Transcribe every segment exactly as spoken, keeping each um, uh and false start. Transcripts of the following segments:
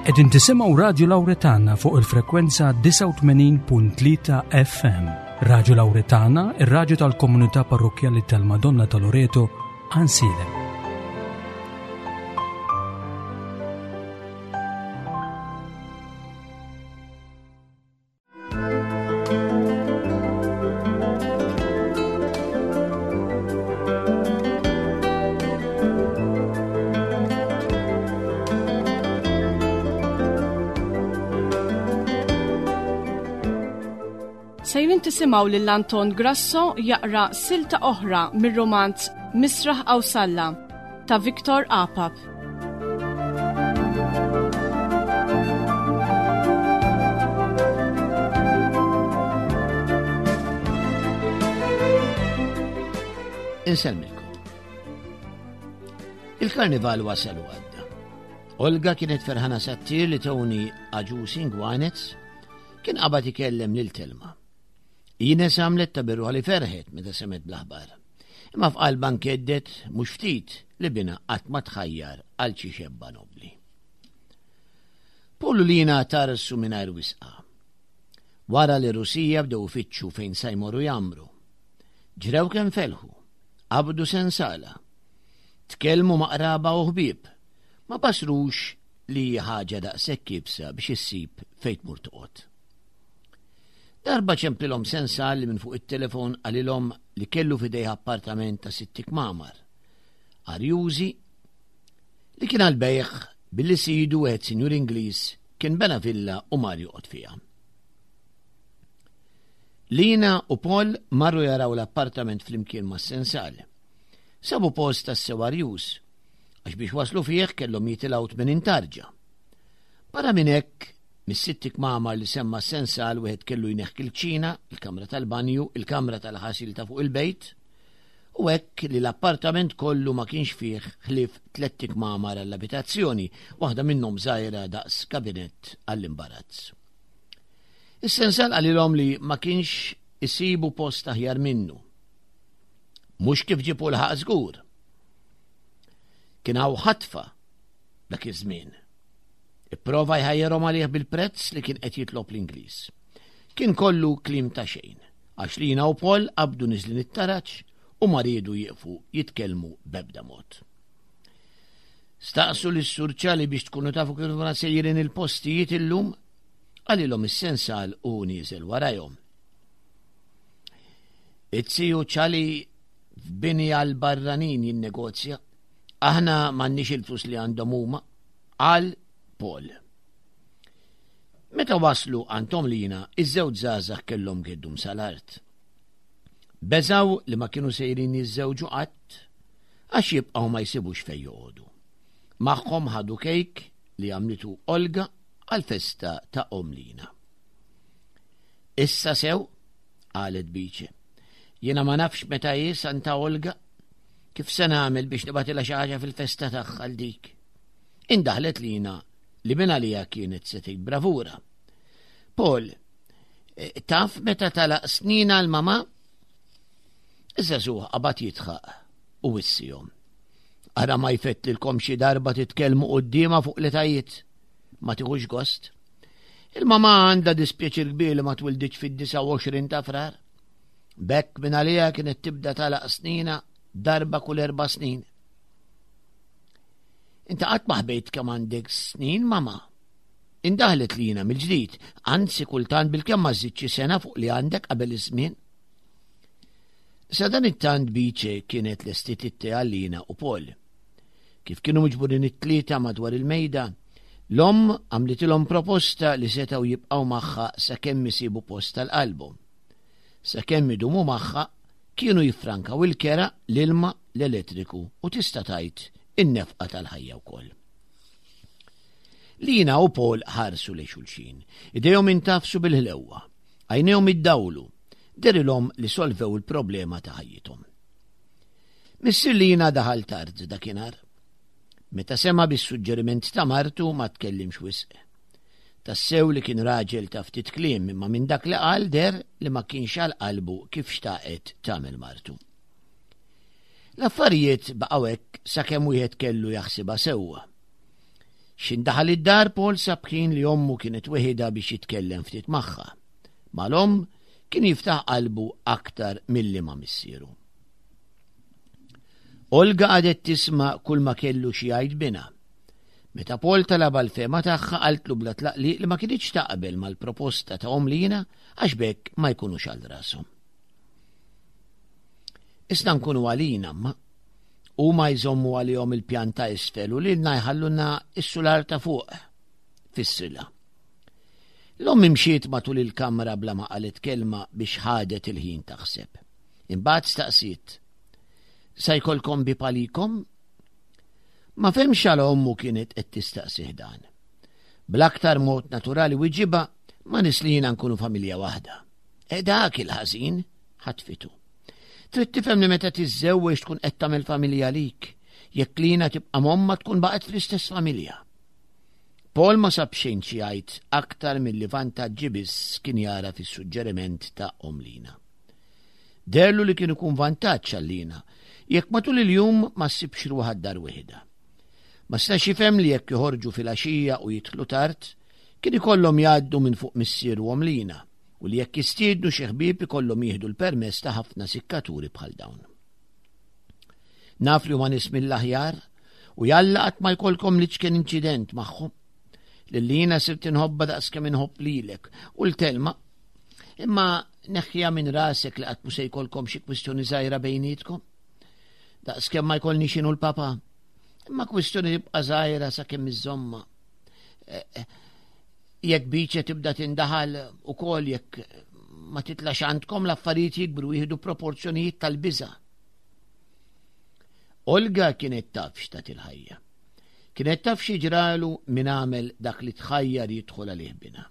Qegħdin tisimgħu Radju Lawretana fuq il-frekwenza disgħa u tmenin punt tlieta F M. Radju Lawretana, ir-radju tal-Komunità Parrokkjali tal-Madonna ta' Loreto, Għajnsielem. Sejrin tisimgħu lil Anton Grasso jaqra silta oħra mir-romanz Misraħ Qawsalla ta' Victor Apap. Insellmilkom. Il-karnival wasal u għadda. Olga kienet ferħana sattir li Tony Agius Ingwanez kien qabad ikellem lil Telma. Ines għamlet ta' birruħa li ferħet meta semet bl-aħbar. Imma f'qalba nkeddet mhux ftit li bina qatt ma tħajjar għal xi xebba nobli. Paul u Lina tarsu mingħajr wisqa. Wara li Rusija bdew ifittxu fejn sa jmorru jagħmru. Ġrew kemm felħu, qabdu sensala. Tkellmu ma' qraba u ħbieb, ma basrux li ħaġa daqshekk iebsa biex issib fejn tmur toqgħod. Darba ċemplilhom sensal li minn fuq it-telefon qalilhom li kellu f'idejh appartament ta' sitt kmamar. Arjużi li kien għal-bejħ billi sidu wieħed sinjur Ingliż kien bena villa u mar joqgħod fiha. Lina u Paul marru jaraw l-appartament flimkien ma' sensal. Sabu post tassew arjuż, għax biex waslu fih kellhom jitilgħu tmenin tarġa. Barra minn hekk, mis-sitt kmamar li semma sensal wieħed kellu jneħħi il-kċina, il-kamra tal-banju, il-kamra tal-ħasil ta' fuq il-bejt, u hekk li l-appartament kollu ma kienx fih ħlief tlett kmamar għall-abitazzjoni, waħda minnhom żgħira daqs kabinett għall-imbarazz. Is-sensal qalilhom li ma kienx isibu post aħjar minnu. Mhux kif ġibu l-ħaq żgur. Kien hawn ħatfa dak iż-żmien. Ipprova jħajjarhom għalih bil-prezz li kien qed jitlob l-Ingliż. Kien kollu kliem ta' xejn, għax Lina u Paul qabdu niżlin it-taraġ u ma riedu jieqfu jitkellmu b'ebda mod. Staqsu lis-Sur Ċali biex tkunu tafu kif ma sejrin il-postijiet illum, qalilhom is-sensal u nieżel warajhom. It-siju Ċali f'bini għal-barranin jinnegozja, aħna m'għandniex il-flus li għandhom huma, qal Paul. Meta waslu għand Lina, iż-żewġ żgħażagħ kellhom geddum sal-art. Beżaw li ma kienu sejrin jiżżewġu qatt għax jibqgħu ma jsibux fejn joqogħdu. Magħhom ħadu kejk li għamlitu Olga għal-festa ta' omm Lina. Issa sew, qalet Biċe, jiena ma nafx meta hi Santa Olga, kif se nagħmel biex nibgħatilha xi ħaġa fil-festa tagħha għal dik. Indaħlet Lina li minn għalija kienet se tgħid bravura. Paul, eh, taf meta talaq snina l-mama? Iż-żagħżugħ qabad jidħaq u wissihom. Ara ma jfettilkom xi darba titkellmu quddiemha fuq l-etajiet. Ma tiħux gost. Il-mama għandha dispjaċir kbir li ma twilditx fid-disgħa u għoxrin ta' Frar. B'hekk minn għalija kienet tibda talaq snina darba kull erba' snin. Inta qatt ma ħbejt kemm għandek snin, mama. Indaħlet Lina mill-ġdid, anzi kultant bil-kemm ma żżidx xi sena fuq li għandek qabel iż-żmien. Sa dan it-tant Biċe kienet lestiet it-te għal Lina u Paul. Kif kienu miġburin it-tlieta madwar il-mejda, l-omm għamlitilhom proposta li setgħu jibqgħu magħha sakemm isibu post tal-qalbhom. Sakemm idumu magħha kienu jiffrankaw il-kera, l-ilma, l-elettriku u tista' tgħid in-nefqa tal-ħajja wkoll. Lina u Paul ħarsu lejn xulxin, idejhom intafsu bil-ħlewwa, għajnejhom iddawlu, derilhom li solvew il-problema ta' ħajjithom. Missier Lina daħal tard dakinhar. Meta sema bis-suġġeriment ta' martu ma tkellimx wisq. Tassew li kien raġel ta' ftit kliem, imma minn dak li qal der li ma kienx għal qalbu kif xtaqet tagħmel martu. L-affarijiet baqgħu hekk sakemm wieħed kellu jaħsibha sewwa. X'ħin daħal id-dar, Paul sab ħin li ommu kienet weħidha biex jitkellem ftit magħha. Mal-omm kien jiftaħ qalbu aktar milli ma' missieru. Olga qagħdet tisma' kull ma kellu xi jgħid binha. Meta Paul talab l-fehma tagħha, qaltlu bla tlaqliq li ma kinitx taqbel mal-proposta ta' omm Lina għax b'hekk ma jkunux għal rashom. "Isna nkunu għalina, ma huma jżommu għalihom il-pjan ta' isfel u lilna jħalluna is-sular ta' fuq," fissrilha. L-omm imxiet matul il-kamra bla ma qalet kelma biex ħadet il-ħin taħseb. Imbagħad staqsiet: "Sa jkollkom bieb għalikom?" Ma fehemx għala ommu kienet qed tistaqsih dan. Bl-aktar mod naturali weġibha, "Ma' Lina nkunu familja waħda." "E dak il-ħażin," ħatfitu. "Trid tifhem li meta tiżżewweġ tkun qed tagħmel familja lik. Jekk Lina tibqa' m'ommha, tkun baqgħet fl-istess familja." Paul ma sab xejn xi jgħid aktar milli vantaġġi biss kien jara fis-suġġeriment ta' omm Lina. Deherlu li kien ikun vantaġġ għal Lina jekk matul il-jum ma ssibx ruħha d-dar weħidha. Ma stax jifhem li jekk joħorġu fil-għaxija u jidħlu tard, kien ikollhom jgħaddu minn fuq missier u omm Lina u li jekk jistiednu xi ħbieb ikollhom jieħdu l-permess ta' ħafna sikkaturi bħal dawn. "Naf li huma nies mill-aħjar u jalla qatt ma jkollkom l-iċken inċident magħhom. Lil Lina sirt inħobbha daqs kemm inħobb lilek u 'l Telma. Imma neħħiha minn rasek li qatt se jkollkom xi kwistjoni żgħira bejnietkom. Daqs kemm ma jkollniex jien u l-papa. Imma kwistjoni tibqa' żgħira sakemm iżżommha. Eh, eh, jekk Biċe tibda tindaħal ukoll, jekk ma titlax għandkom, l-affarijiet jikbru, jieħdu proporzjonijiet tal-biża'." Olga kienet taf x'tat il-ħajja. Kienet taf x'ġralu min għamel dak li tħajjar jidħol għalih binha.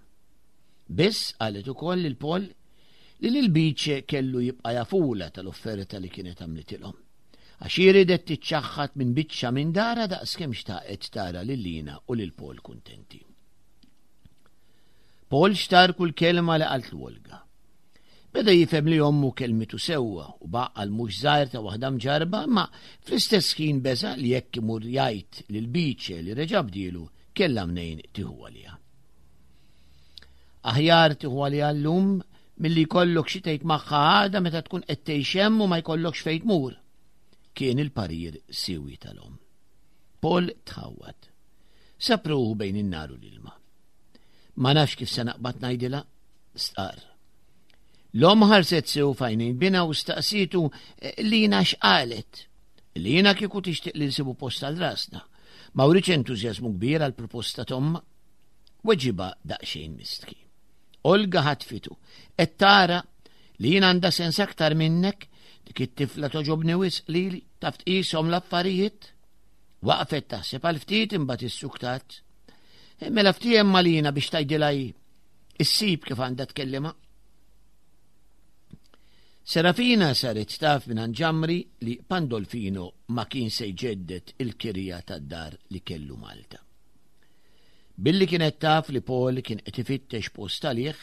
Biss qalet ukoll lil Paul li lil Biċe kellu jibqa' jafulha tal-offerta li kienet għamlitilhom. Għax ridet tiċċaħħat minn biċċa minn darha daqs kemm xtaqet tara lil Lina u lil Paul kuntenti. Paul xtar kull kelma li qaltlu Olga. Beda jifhem li ommu kelmitu sewwa u b'għaqal mhux żgħir ta' waħda mġarba, ma fl-istess ħin beża' li jekk imur jgħid lil Biċe li reġa' bdielu, kellha mnejn tieħu għaliha. "Aħjar tieħu għaliha llum milli jkollok xi tgħid magħha għada meta tkun qed tgħix hemm u ma jkollokx fejn tmur," kien il-parir siewi tal-omm. Paul tħawwad. Sab ruħu bejn in-nar u l-ilma. "Ma nafx kif se naqbad ngħidilha," stqar. L-omm ħarset sew f'għajnejn binha u staqsitu, eh, "Lina x'qalet?" "Lina kieku tixtieq li nsibu post għal rasna. Ma wrietx entużjażmu kbir għal proposta t'ommha," weġibha daqsxejn mistħi. Olga ħatfitu: "Qed tara li jien għandha sens aktar minnek? Dik it-tifla togħġobni wisq lili, taf tqishom l-affarijiet." Waqfet taħseb għal ftit, imbagħad issuktat: "Mela ftiehem ma' Lina biex tgħidilha, issib kif għandha tkellimha." Serafina saret taf minn Ġamri li Pandolfino ma kien se jġeddet il-kirja tad-dar li kellu Malta. Billi kienet taf li Paul kien qed ifittex post għalih,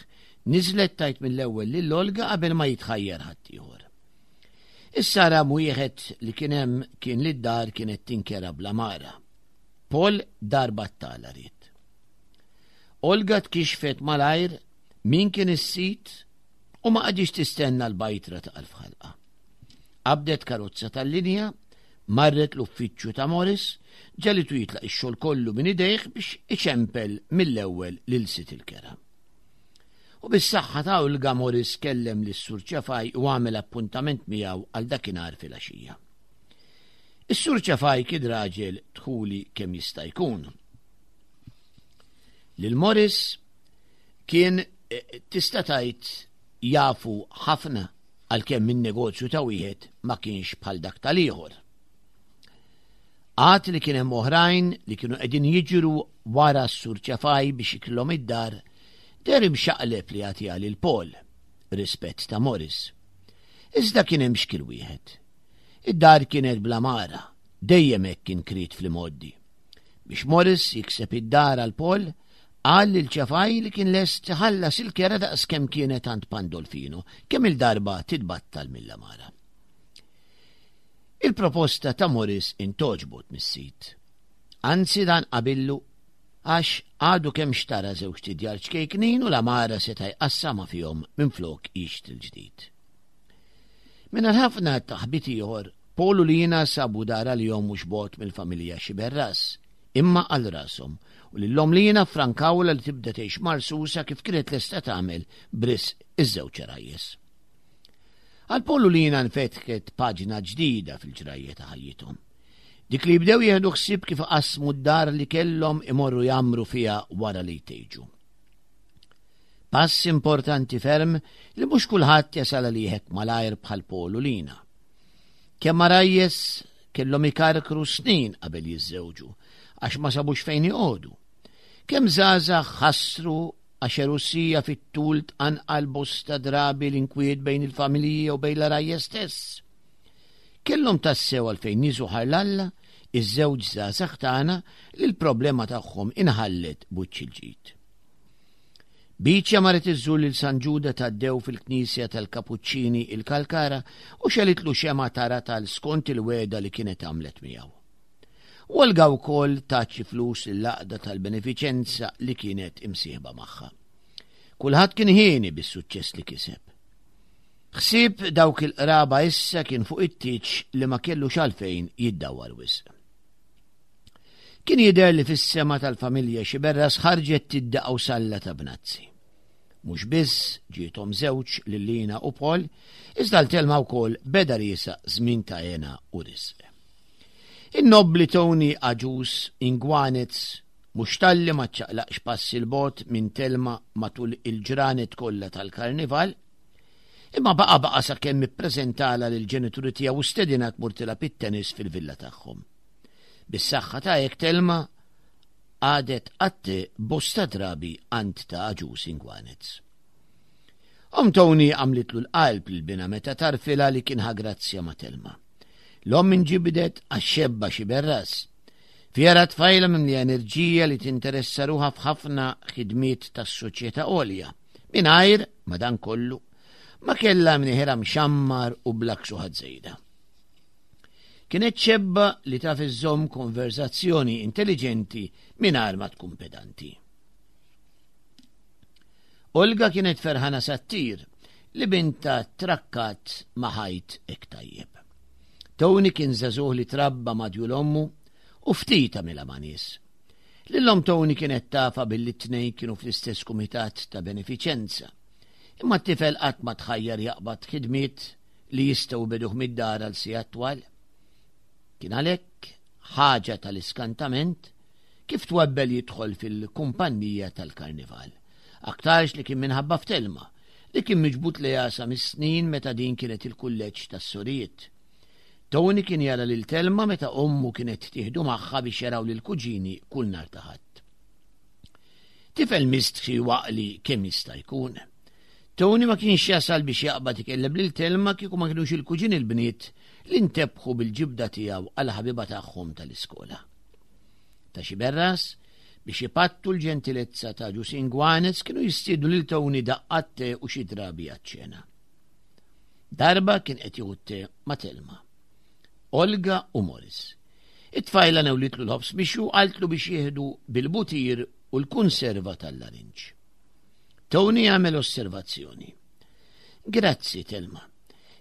niżlet tgħid mill-ewwel lil Olga qabel ma jitħajjar ħaddieħor. Issa ram wieħed li kien hemm kien li d-dar kienet tinkera bl-għamara. Paul dar battala ried. Olga tkixfet malajr min kien is-sid u ma qagħditx tistenna l-bajtra ta' f'ħalqha. Qabdet karozza tal-linja, marret l-uffiċċju ta' Morris, ġagħlitu jitlaq ix-xogħol kollu minn idejh biex iċempel mill-ewwel lil sid il-kera. U bis-saħħa ta' Olga, Morris kellem lis Sur Ċafaj u għamel appuntament miegħu għal dakinhar filgħaxija. Is-Sur Ċafaj kien raġel dħuli kemm jista' jkun. Lil Morris kien eh, tista' tgħid jafu ħafna, għalkemm in-negozju ta' wieħed ma kienx bħal dak tal-ieħor. Għad li kien hemm oħrajn li kienu qegħdin jiġru wara s-Sur Ċafaj biex jikrulhom id-dar, deher imxaqleb li jagħtiha lil Paul, rispett ta' Morris. Iżda kien hemm xkil wieħed. Id-dar kienet bl-għamara, dejjem hekk kien kriet fl-imgħoddi. Biex Morris jikseb id-dar għal Paul, qal lil Ċafaj li kien lest iħallas il-kera daqs kemm kienet għand Pandolfino, kemm il-darba titbattal mill-għamara. Il-proposta ta' Morris intgħoġbot mis-sid. Anzi, dan qabillu. Għax għadu kemm xtara żewġt idjar ċkejknin u l-għamara seta' jqassamha fihom minflok jixtri l-ġdid. Mingħajr ħafna taħbit ieħor, Paul u Lina sabu dar għalihom mhux bogħod mill-familja Xiberras, imma għal rashom, u lil omm Lina frankawlha li tibda tgħix marsusa kif kienet lesta tagħmel b'risq iż-żewġ għarajjes. Għal Paul u Lina nfetħet paġna ġdida fil-ġrajja ta' ħajjithom. Dik li jibdew jieħdu ħsieb kif qasmu d-dar li kellhom imorru jgħammru fiha wara li jtejġu. Pass importanti ferm li mhux kulħadd jasal għalih hekk malajr bħal Paul u Lina. Kemm għarajjes kellhom ikarkru snin qabel jiżżewġu għax ma sabux fejn joqogħdu. Kemm żgħażagħ ħassru għax għerusija fit-tul tqanqal bosta drabi l-inkwiet bejn il-familji u bejn l-għarajjes stess. Kellhom tassew għalfejn jiżżu ħajr 'l Alla iż-żewġ żgħażagħ tagħna li l-problema tagħhom inħallet b'wiċċ il-ġid. Biċja marret iżżur lil San Ġuda Taddew fil-Knisja tal-Kapuċċini il-Kalkara u xegħlitlu xemgħa ta' ratal skont il-wegħda li kienet għamlet miegħu. U Olga wkoll tat xi flus lill-għaqda tal-benefiċenza li kienet imsieħba magħha. Kulħadd kien hieni bis-suċċess li kiseb. Ħsieb dawk il-qraba issa kien fuq it-tieġ li ma kellux għalfejn jiddawwar wisq. Kien jidher li fis-sema tal-familja Xiberras ħarġet tiddi qawsalla ta' bnazzi. Mhux biss ġiethom żewġ lil Lina u Paul, iżda lil Telma wkoll beda riesaq żmien ta' hena u risq. In-nobli Tony Agius Inguanez mhux talli ma ċaqlaqx pass 'il bogħod minn Telma matul il-ġranet kollha tal-karnival, imma baqa baqa sakemm ippreżentala lill-ġenituri tiegħu u stedinha tmur tilgħab it-tennis fil-villa tagħhom. Bis-saħħa ta' hekk Telma qagħdet għat-te bosta drabi għand ta' Agius Inguanez. Omm Tony għamlitlu l-qalb lil binha meta għarrfitha li kien ħa grazzja ma' Telma. L-omm inġibdet għax-xebba Xiberras. Fiha ra tfajla mimlija enerġija li tinteressa ruħha f'ħafna ħidmiet tas-soċjetà għolja. Mingħajr, madankollu, ma kellha mniħira mxammar u bla ksuħat żejda. Kienet xebba li taf iżżomm konverzazzjoni intelligenti mingħajr ma tkun pedanti. Olga kienet ferħana sa ttir li bintha trakkat ma' ħajt hekk tajjeb. Tony kien żagħżugħ li trabba ma' ommu u ftit għamilha ma' nies. Lil omm Tony kienet tafha billi t-tnejn kienu fl-istess kumitat ta' benefiċenza. Imma t-tifel qatt ma tħajjar jaqbad ħidmiet li jistgħu jbegħduh mid-dar għal sigħat twal. Kien għalhekk ħaġa tal-iskantament kif twebbel jidħol fil-kumpanija tal-karnival. Aktarx li kien minħabba f'Telma li kien miġbud lejha sa mis-snin meta din kienet il-kulleġġ tas-sorijiet. Tony kien jara lil Telma meta ommu kienet tieħdu magħha biex jaraw lil kuġini kull nhar ta' Ħadd. Tifel mistħi u għaqli kemm jista' jkun. Tony ma kienx jasal biex jaqbad ikellem lil Telma kieku ma kienux il-kuġini l-bniet li ntebħu bil-ġibda tiegħu għal ħabiba tagħhom tal-iskola. Ta' Xiberras biex ipattu l-ġentilezza ta' Agius Inguanez kienu jistiednu lil Tony daqqa te u xi drabi għaċ-ċena. Darba kien qed jieħu te ma' Telma. Olga u Morris. It-tfajla newlitlu l-ħobż biex u qaltlu biex jieħdu bil-butir u l-konserva tal-larinġ. Tony għamel osservazzjoni. Grazzi, Telma.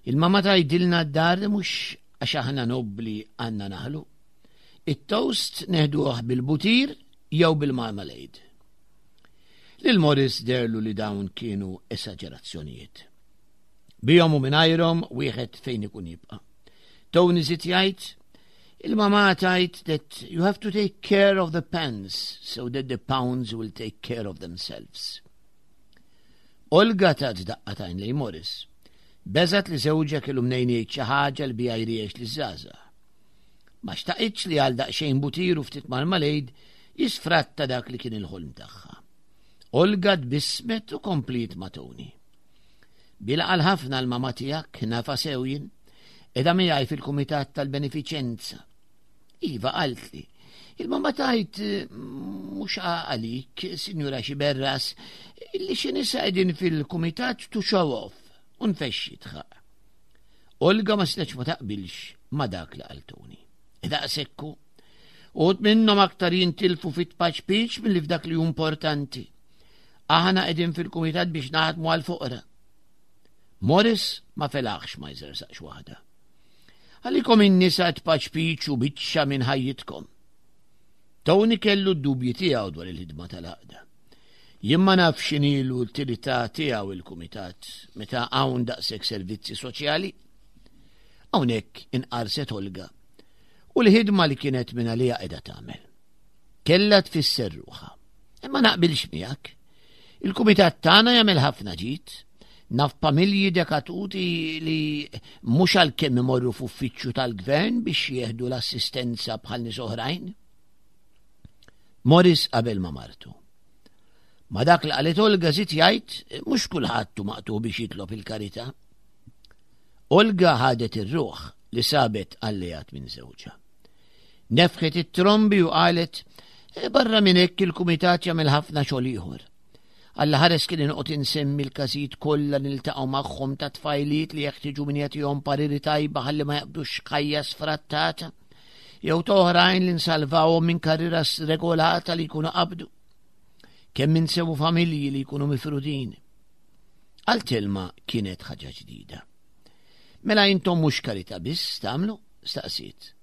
Il-mama tgħidilna d-dar li mhux għax aħna nobli għandna naħlu. It-toast neħduh bil-butir jew bil-marmalade. Lil Morris deherlu li dawn kienu esagerazzjonijiet. Bihom u mingħajrhom wieħed fejn ikun jibqa'. Tony żied jgħid, il-mama tgħid that you have to take care of the pans so that the pounds will take care of themselves. Olga tat daqqa t'għajn lejn Morris. Beżgħet li żewġha kellu mnejn jgħid xi ħaġa li biha jriegħex liż-żgħażagħ. Ma xtaqitx li għal daqsxejn butir u ftit marmalade jisfratta dak li kien il-ħolm tagħha. Olga tbissmet u kompliet ma' Tony. Bil-għaqal ħafna l-mama tiegħek nafha sew jien, qiegħda miegħi fil-kumitat tal-benefiċenza. Iva qaltli, il-mama tgħid mhux għalik, Sinjura Xiberras, li xi nisa qegħdin fil-kumitat to show off, u nfexx jidħaq. Olga ma setgħetx ma taqbilx ma dak li qal Tony. Daqshekk hu. Uħud minnhom aktar jintilfu fit-paċpiċ milli f'dak li hu importanti. Aħna qegħdin fil-kumitat biex naħdmu għall-foqra. Morris ma felaħx ma jżersaqx waħda. Għalikom in-nisa tpaċpiċ u biċċa minn ħajjitkom. Tony kellu d-dubji tiegħu dwar il-ħidma tal-għaqda. Jien ma nafx x'inhi l-utilità tiegħu il-kumitat meta hawn daqshekk servizzi soċjali. Hawnhekk inqarset Olga u l-ħidma li kienet minn għalija qiegħda tagħmel. Kellha tfisser ruħha. Imma naqbilx miegħek. Il-kumitat tagħna jagħmel ħafna ġid. Naf familji dekatuti li mhux għalkemm imorru f'uffiċċju tal-gvern biex jieħdu l-assistenza bħal nies oħrajn. Morris qabel ma martu. Ma dak li qalet Olga żied jgħid mhux kulħadd hu maqtu biex jitlob il-karità. Olga ħadet ir-ruħ li sabet alleat minn żewġha. Nefħet it-trombi u qalet e, barra minn hekk il-kumitat jagħmel ħafna xogħol ieħor. Alla ħares kien inqgħod insemmi l-każijiet kollha niltaqgħu magħhom ta' tfajliet li jeħtieġu min jagħtihom pariri tajba ħalli ma jaqbdux ħajja sfrattata, jew ta' oħrajn li nsalvawhom minn karriera sregolata li jkunu qabdu. Kemm insewu familji li jkunu mifrudin. Għal Telma kienet ħaġa ġdida. Mela intom mhux karità biss tagħmlu? Staqsiet.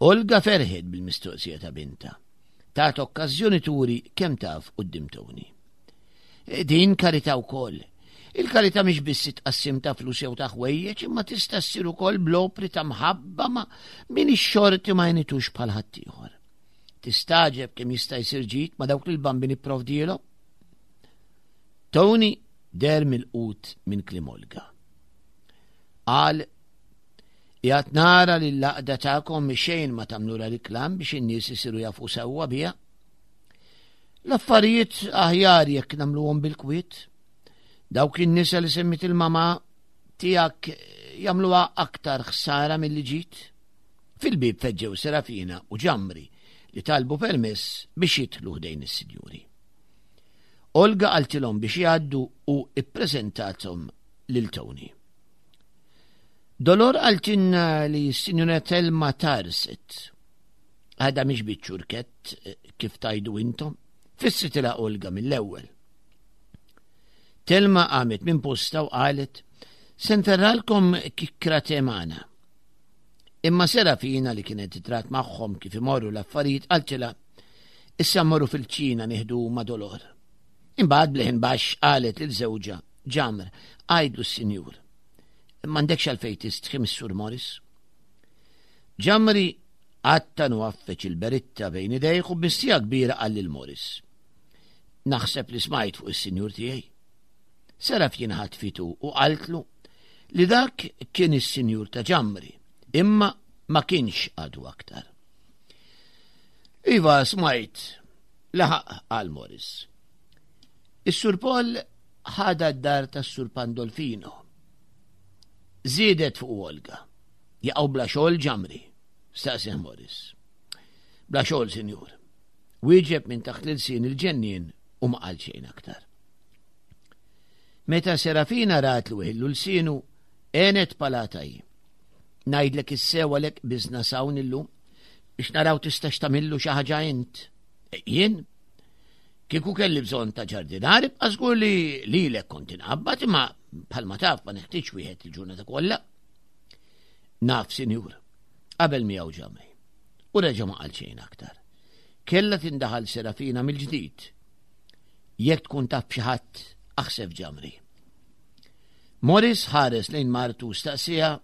Olga ferħet bil-mistoqsija ta' binta. Tat okkażjoni turi kemm taf quddiem Tony. E, din karità wkoll. Il-karità mhix biss tqassim ta' flus jew ta' ħwejjeġ, imma tista' ssir ukoll bl-opri ta' mħabba ma' min ix-xorti ma jnitux bħal ħaddieħor. Tistagħġeb kemm jista' jsir ġid ma' dawk li l-Bambin ipprovdielhom. Tony der mill-qut minn kliem Olga. Qal qiegħed nara li l-għaqda tagħkom xejn ma tagħmlulha riklam biex in-nies isiru jafu sewwa biha. L-affarijiet aħjar jekk nagħmluhom bil-kwiet. Dawk in-nisa li semmit il-mama tiegħek jagħmluha aktar ħsara milli ġid. Fil-bib feġġew Serafina u Ġamri li talbu permess biex jidħlu ħdejn is-sinjuri. Olga qaltilhom biex jgħaddu u ippreżentathom lil Tony. Dolor qaltilna li s-sinjura Telma tarset. Għada mhix biċ-ċurkett kif tajdu intom, fissritilha Olga mill-ewwel. Telma qamet minn posta u qalet, se nferralkom kikkra temana. Imma Serafina li kienet trat magħhom kif imorru l-affarijiet qaltilha, issa mmorru fil-ċina nieħdu ma' Dolor. Imbagħad bleħen baxx qalet lil żewġha, Ġamr, għajdlu s-sinjur. M'għandekx għalfejn tistħi mis-Sur Morris. Ġamri għattan u għaffeċ il-beritta bejn idejh u b'mistija kbira qal lil Morris. Naħseb li smajt fuq is-sinjur tiegħi. Serafina ħatfitu u qaltlu li dak kien is-sinjur ta' Ġamri, imma ma kienx għadu aktar. Iva, smajt, laħaq qal Morris. Is-Sur Paul ħada d-dar tas-Sur Pandolfino. Żiedet fuq Olga. Jaqgħu bla xogħol Ġamri, staqsih Morris. Bla xogħol, sinjur. Wieġeb minn taħt l-ilsien il-ġennien u ma qal xejn aktar. Meta Serafina rat li weħillu lsienu, għenet palata hi. Ngħidlek issew għalhekk biżna s'hawn illum biex naraw tistax tagħmillu xi ħaġa int. E, jien? Kieku kelli bżonn ta' ġardinar, ibqa' żgur li lilek kont inqabbad, imma bħalma taf ma neħtieġ wieħed il-ġurnata kollha. Naf, sinjur, qabel miegħu Ġamri. U reġa' ma qal xejn aktar. Kella tindaħal Serafina mill-ġdid. Jekk tkun taf b'xi ħadd, aħseb Ġamri. Morris ħares lejn martu staqsija,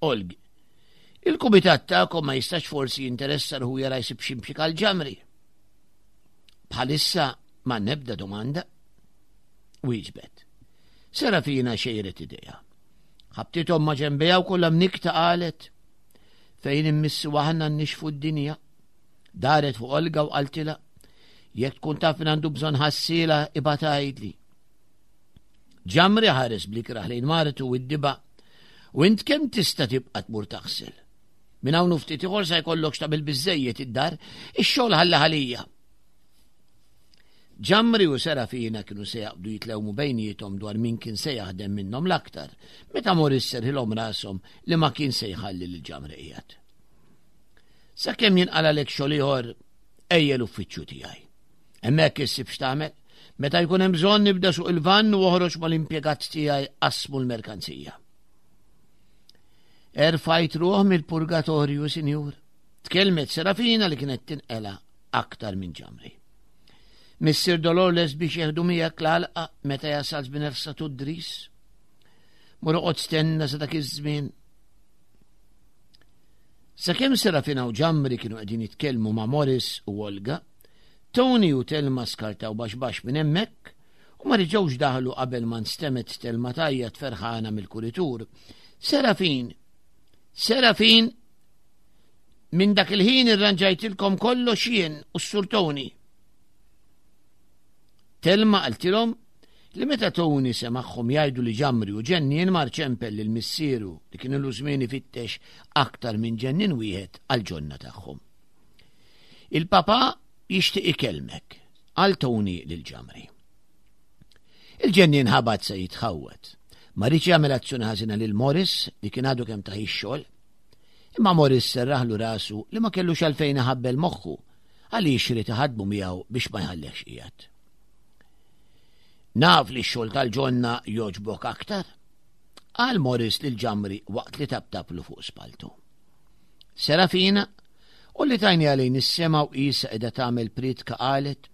Olg, il-kumitat tagħkom ma jistax forsi jinteressa ruħu jara jsib xi impjieg għal Ġamri. Bħalissa ma nebda domanda. Wieġbet. Serafina xejret idejha. Ħabtithom ma' ġenbejha u kollha mnikta qalet fejn immissu aħna nnixfu d-dinja. Daret fuq Olga u qaltilha, jekk tkun taf min għandu bżonn ħassiela ibgħat għidli. Ġamri ħares blikraħ lejn martu u d-diba, u int kemm tista' tibqa' tmur taħsel. Minn hawn u ftit ieħor sa jkollok x'tagħmel biżżejjed id-dar, ix-xogħol ħalla ħalija. Ġamri u Serafina kienu se jaqbdu jitlewmu bejniethom dwar min kien se jaħdem minnhom l-aktar, meta Morris serħilhom rashom li ma kien se jħalli lil Ġamri qiegħed. Sakemm jinqalalek xogħol ieħor, ejja l-uffiċċju tiegħi. Hemmhekk issib x'tagħmel. Meta jkun hemm bżonn nibda suq il-vann u oħroġ mal-impjegat tiegħi qasmu l-merkanzija. Erfajt ruħ mill-purgatorju, sinjur. Tkellmet Serafina li kienet tinqela aktar minn Ġamri. Missier Dolores biex jeħdu miegħek l-għalqa meta jasal żmien ersatu d-dris. Mur oqgħod stenna sa dak iż-żmien. Sakemm Serafina u Ġamri kienu qegħdin jitkellmu ma' Morris u Olga, Tony u Telma skartaw baxx baxx minn hemmhekk u ma reġgħux daħlu qabel ma nstemet Telma tgħajjat ferħana mill-kuritur. Serafin! Serafin! Minn dak il-ħin irranġajtilkom kollox jien u s-Sur Tony. Telma qaltilhom li meta Tony semagħhom jgħidu li Ġamri u ġennien mar ċempel lil missieru li kien ilu żmien ifittex aktar minn ġennien wieħed għall-ġonna tagħhom. Il-papa jixtieq ikellmek, qal Tony lil Ġamri. Il-ġennien ħabat se jitħawwad. Ma riedx jagħmel azzjoni ħażina lil Morris li kien għadu kemm tah ix-xogħol. Imma Morris serraħlu rasu li ma kellux għalfejn iħabbel moħħu għaliex ried iħaddmu miegħu biex ma jħallihx qiegħed. Naf li x-xogħol tal-ġonna jogħġbok aktar, qal Morris lil Ġamri waqt li taptaplu fuq spaltu. Serafina, u li tajni għalejn is-sema u qisha qiegħda tagħmel priedka qalet,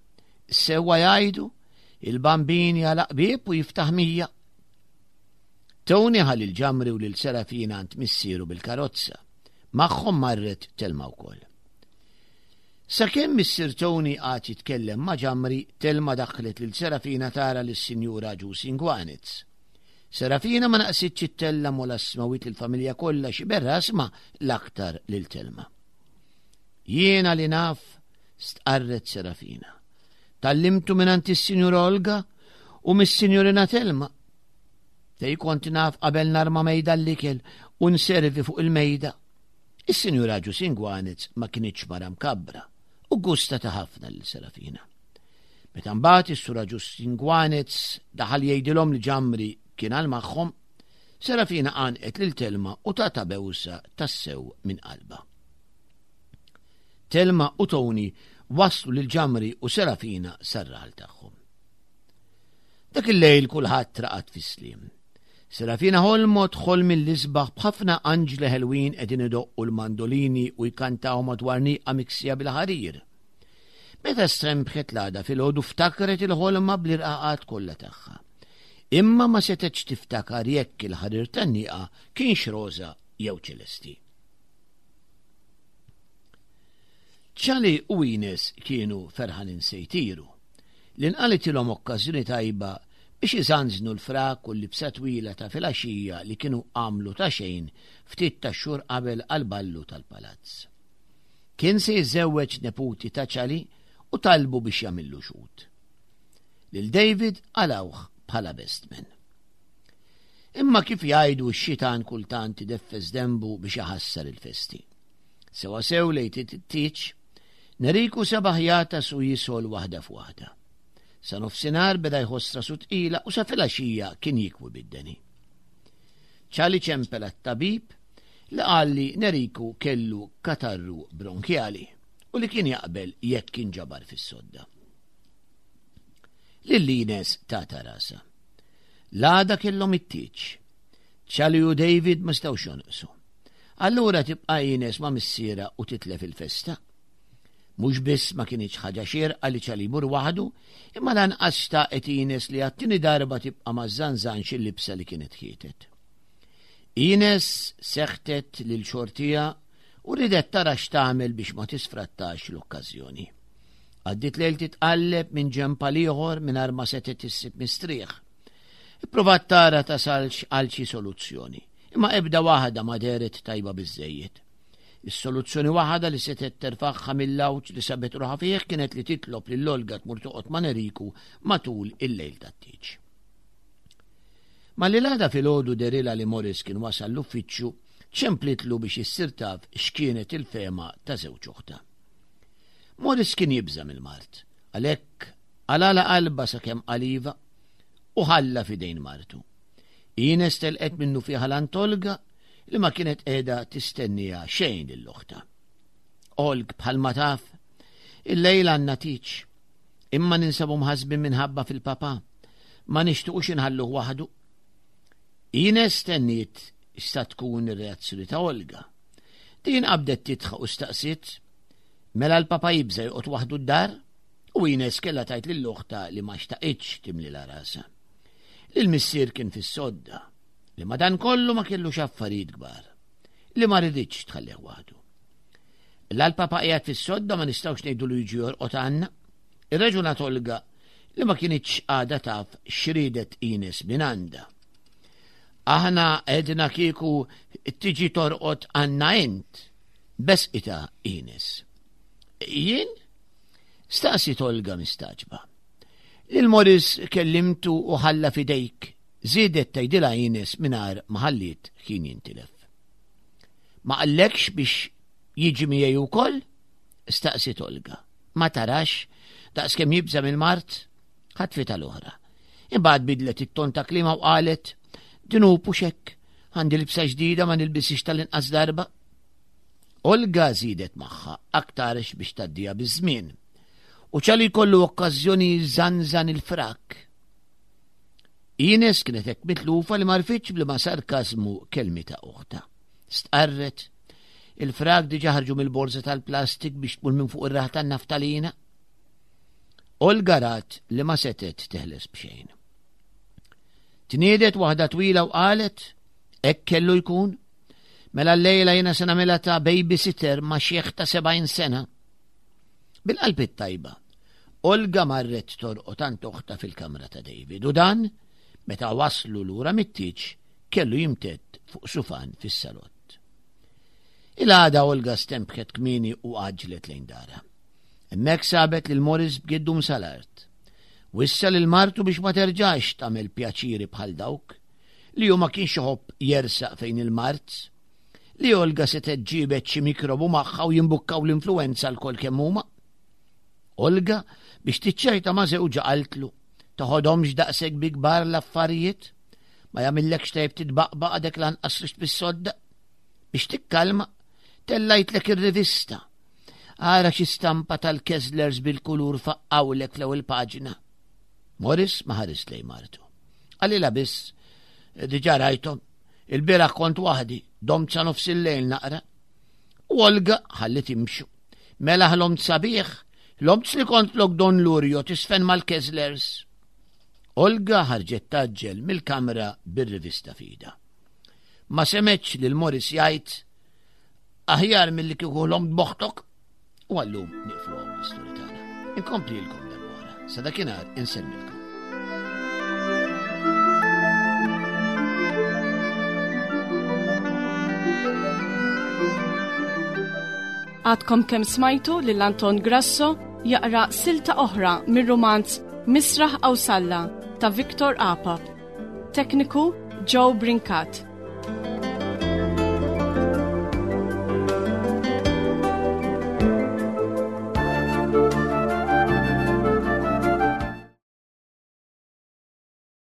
sewwa jgħidu, il-bambin jagħlaq bieb u jiftaħ mija. Tony ħa lil Ġamri u lil Serafina għand missieru bil-karozza. Magħhom marret Telma wkoll. Sakemm missier Tony qagħad jitkellem ma' Ġamri, Telma daħlet lil Serafina tara lis-Sinjura Agius Inguanez. Serafina ma naqsitx ittella' mola smawit lill-familja kollha xi berras ma l-aktar lil Telma. Jiena li naf, stqarret Serafina. Tallimtu mingħand is-Sinjura Olga u mis-Sinjurina Telma. Tej kont naf qabel narma mejda l-ikel u nservi fuq il-mejda. Is-Sinjura Agius Inguanez ma kinitx mara mkabbra u gusta ta' ħafna lil Serafina. Meta mbagħad is-Sur Agius Inguanez daħal jgħidilhom li Ġamri kien għal magħhom, Serafina għanqet lil Telma u tata bewsa tassew minn qalbha. Telma u Tony waslu lil Ġamri u Serafina sar-raħal tagħhom. Dak il-lejl kulħadd raqad fis-sliem. Serafina ħolmot ħolm mill-isbaħ b'ħafna anġli ħelwin qegħdin idoqqu l-mandolini u jkantaw madwar nieqa miksija bil-ħarir. Meta strembħet l-għada filgħodu ftakret il-ħolma bl-irqaqat kollha tagħha. Imma ma setgħetx tiftakar jekk il-ħarir tan-nieqa kienx roża jew ċelesti. Ċali u Ines kienu ferħanin se jtiru. Li nqalitilhom okkażjoni tajba biex iżanżnu l-frak u l-libsa twila ta' filgħaxija li kienu għamlu ta' xejn ftit ta' xhur qabel għall-ballu tal-palazz. Kien se jiżżewweġ neputi ta' Ċali u talbu biex jagħmillu xhud. Lil David qalawh bħala best man. Imma kif jgħidu x-xitan kultant ideffes dembu biex iħassar il-festi. Sewa sew lejt it-tieġ, Neriku sebaħ jatas u jisol waħda f'waħda. Sa nofsinhar beda jħoss rasu tqila u sa filgħaxija kien jikwi bid-deni. Ċali ċempel għat-tabib li qal li Neriku kellu katarru bronkjali u li kien jaqbel jekk kien ġabar fis-sodda. Lil Ines tata rasa. L-għada kellhom it-tieġ. Ċali u David ma stawx jonqsu. Allura tibqa' Ines ma' missiera u titlef il-festa. Mhux biss ma kienx ħaġa xierqa li Ċali jmur waħdu, imma lanqas xtaqet Ines li għat-tieni darba tibqa' ma żżanżanx il-libsa li kienet ħietet. Ines seħtet lil xortija u ridet tara x'tagħmel biex ma tisfrattax l-okkażjoni. Għaddiet lejl titqalleb minn ġenb għal ieħor mingħajr ma setgħet issib mistrieħ. Ipprovat tara tasalx għal xi soluzzjoni, imma ebda waħda ma dehret tajba biżżejjed. Is-soluzzjoni waħda li setgħet terfagħha mill-għawġ li sabet ruħha fih kienet li titlob lil Olga tmur toqgħod ma' Neriku matul il-lejl tat-tieġ. Malli l-għada filgħodu derilha li Morris kien wasal l-uffiċċju, ċemplitlu biex issir taf x'kienet il-fehma ta' żewġ oħta. Morris kien jibża' mill-mart, għalhekk qalala qalba sakemm qal iva u ħalla f'idejn martu. Ines telqet minnu fiha l-Antolga li ma kienet qiegħda tistennija xejn lill-oħta. Olg bħalma taf, il-lejla għandna tieġ, imma ninsabu mħassbin minħabba fil-papa, ma nixtiqux inħalluh waħdu. Ines stenniet x'sa tkun ir-reazzjoni ta' Olga. Din qabdet tidħaq u staqsiet, mela l-papa jibża' joqgħod waħdu d-dar? U Ines kellha tgħid lil oħtha li ma xtaqitx timlilha rasha. Li l-missier kien fis-sodda, li madankollu ma kellux affarijiet kbar, li ma riditx tħallih waħdu. La l-papa qiegħed fis-sodda ma nistgħux ngħidulu jiġi jorqod għandna. Irraġunat Olga li ma kinitx għadha taf x'riedet Ines minn għandha. Aħna għedna kieku tiġi torqod għandna int, besqitha Ines. Jien? Staqsiet Olga mistagħġba. Lil Morris kellimtu u ħalla fidejk, żiedet tgħidilha Ines mingħajr ma ħalliet ħin jintilef. Ma qallekx biex jiġi miegħi wkoll? Staqsiet Olga. Ma tarax, daqskemm jibża' mill-mard? Ħatfitha l-oħra. Imbagħad bidlet it-ton ta' kliemha u qalet, dnub hux hekk, għandi libsa ġdida ma nilbisix tal-inqas darba. Olga żiedet magħha aktarx biex tgħaddiha biż-żmien. U ċali jkollu okkażjoni jżanżan il-frak. Ines kienet hekk mitlufa li m'għarfitx b'liema sarkażmu kelmitha oħtha. Stqarret, il-frak diġà ħarġu mill-borża tal-plastik biex tmur minn fuq ir-raħ tan-naftalina. Olga rat li ma setgħet teħles b'xejn. Tniedet waħda twila u qalet, hekk kellu jkun, mela llejla jiena se nagħmilha ta' babysitter ma' xiħ ta' sebgħin sena. Bil-qalb it-tajba, Olga marret torqod għand oħtha fil-kamra ta' David u dan, meta waslu lura mit-tieġ, kellu jimtedd fuq sufan fis-salott. Il-għada Olga stempħet kmieni u għaġġlet lejn darha. Hemmhekk sabet lil Morris b'giddu sal-art. Wissa lil martu biex ma terġax tagħmel pjaċiri bħal dawk, li hu ma kienx iħobb jersaq fejn il-mard, li Olga setgħet ġibet xi mikrobu magħha u jimbukkaw l-influwenza lkoll kemm huma. Olga biex tiċċajta ma' żewġha qaltlu, toħodhomx daqshekk bi kbar l-affarijiet, ma jagħmillekx tajjeb titbaqbaq għadek lanqas rixt bis-sodda. Biex tikkalma, tellajtlek ir-rivista. Ara xi stampa tal-Kesslers bil-kulur faqqawlek fl-ewwel paġna. Morris ma ħares lejn martu. Qalilha biss, diġà rajthom, il-bieraħ kont waħdi, domt sa nofs il-lejl naqra. U Olga ħallit imxu. Mela ħlomt sabiħ, ħlomt li kont lok Don Lurio tisfen mal-Kesslers. Olga ħarġet taġġel mill-kamra bir-rivista fida. Ma semgħetx lil Morris jgħid aħjar milli kieku ħlomt b'oħtok. U għallum nieqfu hawn l-istorja tagħna. Inkomplilkom darb'oħra. Sa dakinhar insellmilkom. Għadkom kemm smajtu lil Anton Grasso jaqra silta oħra mir-rumanz Misraħ Qawsalla ta' Victor Apap. Tekniku Joe Brincat.